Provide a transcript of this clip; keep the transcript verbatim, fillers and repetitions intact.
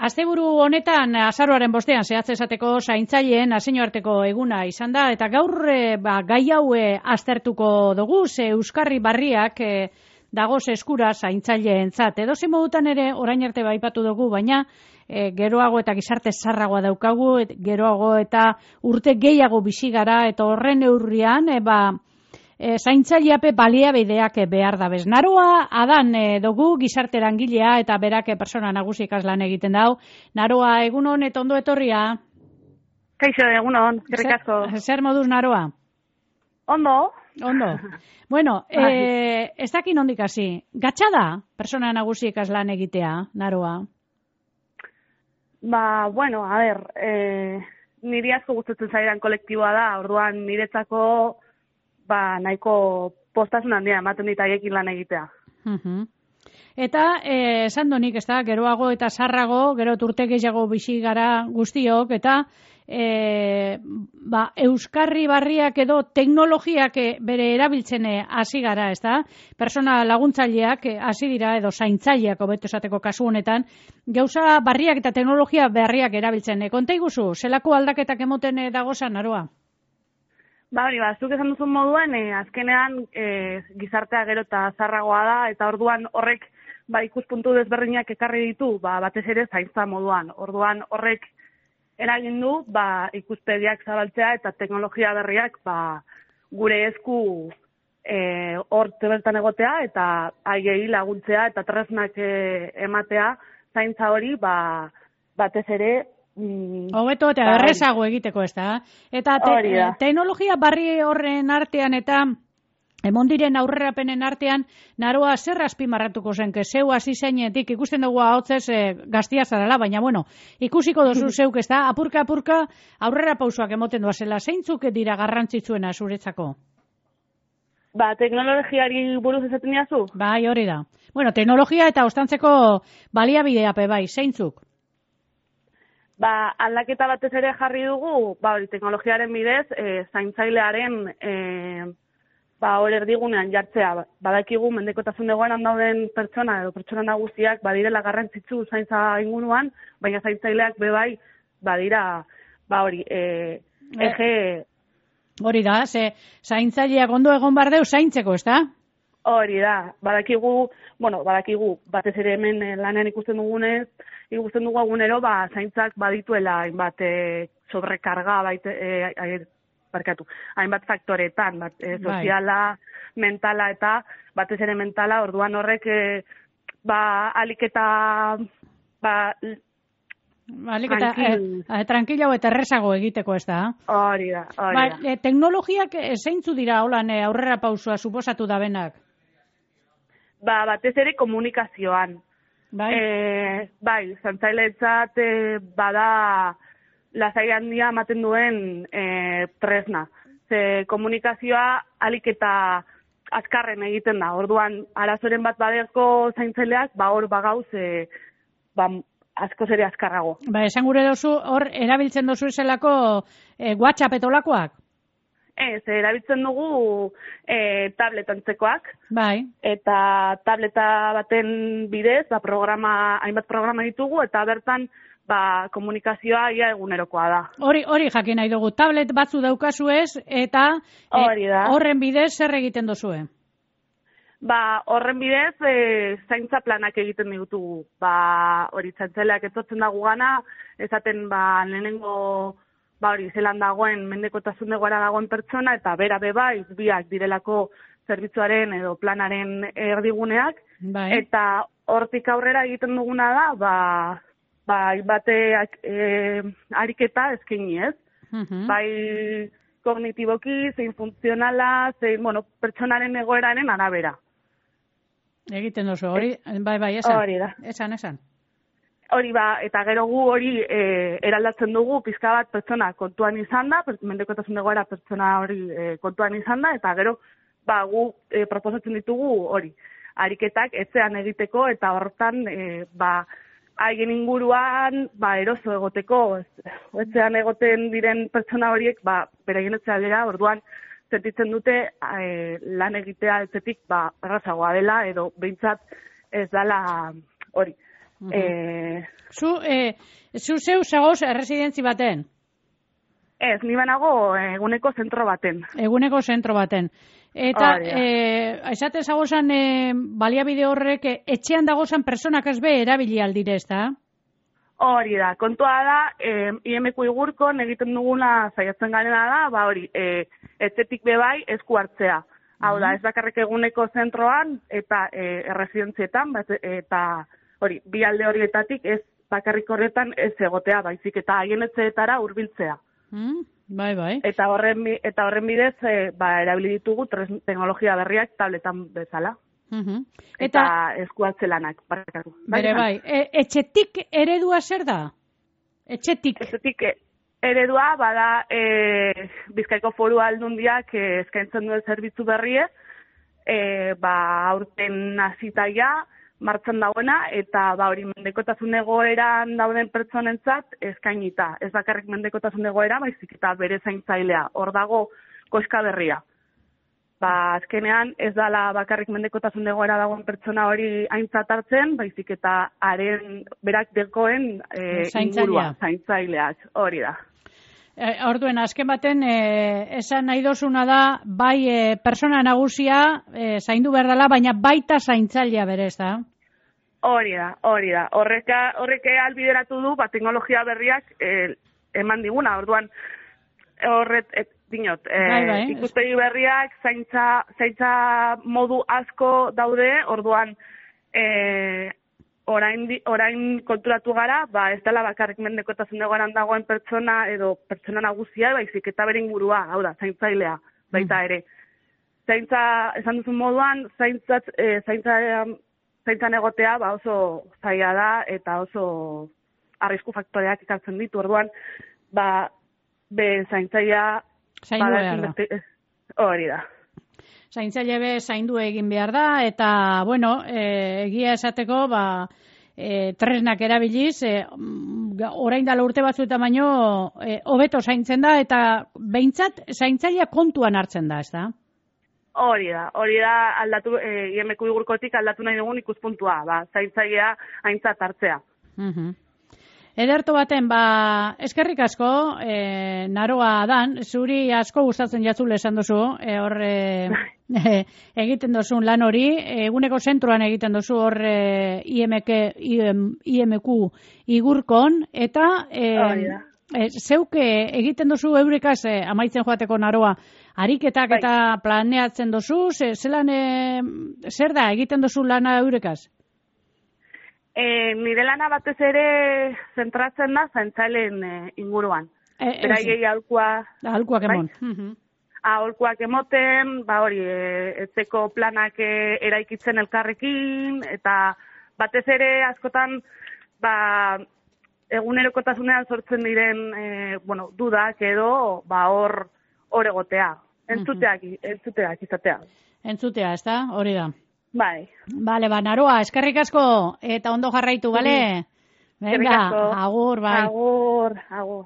asteburu honetan, azaroaren bostean, zehatz esateko zaintzaileen nazioarteko eguna izan da, eta gaur e, ba, gai hau e, aztertuko dugu, ze euskarri barriak e, dagoz eskura zaintzaileentzat. Edo ze modutan ere, orain arte baipatu dugu, baina e, geroago eta gizarte zarragoa daukagu, et, geroago eta urte gehiago bizi gara, eta horren neurrian, e, ba, E, zaintzaileape baliabideak behar da bez. Naroa adan e, dugu gizarte erangilea eta berak persona nagusi ikaslan egiten dau. Naroa, egunon eta ondo etorria? Kaixo, egunon, gerrik asko. Zer, zer moduz Naroa? Ondo. Ondo. Bueno, e, ez dakin ondik hasi. Gatsa da persona nagusi ikaslan egitea, Naroa? Ba, bueno, a ber, e, niri asko gustatzen zaidan kolektiboa da, orduan niretzako ba, nahiko postasun handia ematen dit haiekin lan egitea. Uh-huh. Eta, eh, esan donik, ez da, geroago eta sarrago, gero urte gehiago bizi gara guztiok, eta eh, ba, euskarri barriak edo teknologiak bere erabiltzen hasi gara, ez da? Persona laguntzaileak hasi dira, edo zaintzaileak hobeto esateko kasu honetan, gauza barriak eta teknologia berriak erabiltzen. E, konta iguzu, zelako aldaketak emoten e, dagozan, Naroa? Ba, hori, ba, zuk esan duzun moduen, e, azkenean e, gizartea gero eta zarragoa da, eta orduan horrek ba, ikuspuntu desberdinak ekarri ditu, ba, batez ere zaintza moduan. Orduan horrek eragin du ba, ikuspediak zabaltzea eta teknologia berriak ba, gure esku e, hor bertan egotea eta haiei laguntzea eta tresnak e, ematea zaintza hori ba, batez ere hobeto eta errezago egiteko, ez da? Eta te, teknologia barri horren artean eta emondiren aurrerapenen artean, Naroa zer azpimarratuko zen, que zeu hasi zeinetik, ikusten dugu ahotzez e, gaztia zarala, baina bueno, ikusiko dozu zeuk, ez da? Apurka, apurka, aurrera pausoak emoten doazela, zeintzuk dira garrantzitsuena zuretzako? Ba, teknologiari buruz esaten diazu? Bai, hori da. Bueno, teknologia eta ostantzeko baliabideape bai, zeintzuk? Ba, aldaketa batez ere jarri dugu, ba, hori, teknologiaren bidez, e, zaintzailearen, e, ba, hori erdigunean jartzea. Badakigu, mendekotasun egoeran dauden pertsona edo pertsona nagusiak, badirela garrantzitsu zaintza inguruan, baina zaintzaileak bebai, badira, ba, hori, e, ege... Hori da, ze zaintzaileak ondo egon bardeu zaintzeko, ez da? Hori da, badakigu, bueno, badakigu, batez ere hemen lanean ikusten dugunez, ikusten dugu egunero, ba, zaintzak badituela hainbat e, sobrekarga, baite, e, barkatu, hainbat faktoretan, bat, e, soziala, mentala eta batez ere mentala, orduan horrek, e, ba, alik eta, ba, alik eta eh, tranquila eta errezago egiteko, ez da? Hori da, hori ba, da. E, teknologiak zeintzu dira, holan, e, aurrera pausua suposatu da benak? Ba, batez ere komunikazioan. Bai, e, bai zantzailetzat e, bada lasai handia ematen duen e, tresna. Ze komunikazioa alik eta azkarren egiten da. Orduan, arazoren bat baderko zaintzaileak, ba hor bagauz, e, ba, askoz ere azkarrago. Ba, esan gure dozu, hor erabiltzen dozu eselako e, WhatsApp etolakoak? Ez, erabiltzen dugu e, tablet antzekoak. Bai. Eta tableta baten bidez, ba, programa, hainbat programa ditugu, eta bertan ba, komunikazioa ia egunerokoa da. Hori, hori jakin nahi dugu, tablet batzu daukazu ez, eta e, horren bidez zer egiten duzue? Ba, horren bidez, e, zaintza planak egiten ditugu. Ba, hori zaintzaileak etortzen dago gana, esaten ba, lehenengo... Ba hori, zelan dagoen, mendekotasun egoera dagoen pertsona, eta bera beba, biak direlako zerbitzuaren edo planaren erdiguneak, bai. Eta hortik aurrera egiten duguna da, ba, ba bateak e, ariketa eskaini ez. Uh-huh. Bai kognitiboki, zein funtzionala, zein, bueno, pertsonaren egoeraren arabera. Egiten duzu, hori, bai, bai, esan. Hori da. Esan, esan. Hori ba, eta gero gu hori e, eraldatzen dugu pizka bat pertsona kontuan izan da, mendekotasun egoera pertsona hori e, kontuan izan da, eta gero ba, gu e, proposatzen ditugu hori, ariketak etxean egiteko, eta hortan e, ba, haien inguruan ba, eroso egoteko, etxean egoten diren pertsona horiek ba, beraien etxea dira, orduan sentitzen dute e, lan egitea etxetik ba, errazagoa dela, edo behintzat ez dela hori. Uh-huh. E... Zu, e, zu zeu zagoz erresidentzi baten? Ez, ni banago eguneko zentro baten. Eguneko zentro baten. Eta, e, esate zagozan, e, baliabide horrek, e, etxean dagozan personak ez be erabili aldire, ez da? Hori da, kontua da, e, I M Q igurkon egiten duguna zaiatzen garena da, ba hori, e, etxetik bebai esku hartzea. Hau da, ez bakarrik eguneko zentroan eta e, erresidentzietan, eta hori, bi alde horietatik ez bakarrik horretan ez egotea, baizik eta haien etxeetara hurbiltzea. Mm, bai, bai. Eta horren, eta horren bidez, e, ba, erabili ditugu teknologia berriak tabletan bezala. Uh-huh. Eta, eta eskuatze lanak, barkatu. Bere bai, e, etxetik eredua zer da? Etxetik? Etxetik eredua, bada e, Bizkaiko Foru Aldundiak e, eskaintzen duen zerbitzu berriez, e, ba, aurten hasitaia, martxan dauena, eta ba hori mendekotasun egoeran dauden pertsonentzat eskainita. Ez bakarrik mendekotasun egoera, baizik eta bere zaintzailea. Hor dago koska berria. Ba, azkenean ez dala bakarrik mendekotasun egoera dagoen pertsona hori aintzat hartzen, baizik eta haren berak dekoen e, ingurua, zaintzaileak. Hori da. E, orduen, azken baten, e, esan nahi dozuna da, bai e, persona nagusia e, zaindu behar dela, baina baita zaintzailea berez da. Hori da, hori da. Horreka, horreke albideratu du, ba, teknologia berriak e, eman diguna. Orduan, horret, et, dinot, e, bai, bai. Ikuspegi berriak zaintza, zaintza modu asko daude, orduan, e, Orain, orain konturatu gara, ba, ez dela bakarrik mendekotasun egoeran dagoen pertsona edo pertsona nagusia, baizik eta bere ingurua, hau da, zaintzailea, baita ere. Zaintza, esan duzun moduan, zaintzat, e, zaintza, zaintzan egotea ba, oso zaila da eta oso arrisku faktoreak ikartzen ditu. Orduan, ba, be zaintzailea... Zaindu behar da. Hori da. Zaintzaile be zaindu egin behar da, eta, bueno, e, egia esateko, ba, e, tresnak erabiliz, e, orain dala urte batzuetan baino, e, hobeto zaintzen da, eta behintzat zaintzailea kontuan hartzen da, ez da? Hori da, hori da aldatu, e, I M Q igurkotik aldatu nahi dugun ikuspuntua, ba, zaintzailea aintzat hartzea. Uh-huh. Ederto baten, ba, eskerrik asko, e, naroa dan, zuri asko gustatzen jatzule esan duzu, e, hor e, e, egiten duzun lan hori, eguneko zentroan egiten duzu hor e, I M Q, I M Q igurkon, eta e, e, zeuke egiten duzu eurekaz e, amaitzen joateko naroa, ariketak bai. Eta planeatzen duzu, ze, zelan, e, zer da egiten duzu lana eurekaz? E, nire lana batez ere zentratzen da zaintzaileen e, inguruan. E, Beraiei aholkua... Aholkuak emon. Bai? Aholkuak emoten, ba hori, e, etzeko planak e, eraikitzen elkarrekin, eta batez ere askotan, ba, egunerokotasunean sortzen diren, e, bueno, dudak edo, ba, hor, hor egotea. Entzuteak, entzuteak izatea. Entzutea, ez da? Hori da. Bai. Bale, ba, naroa, eskerrik asko, eta ondo jarraitu, bale? Venga, agur, bai. Agur, agur.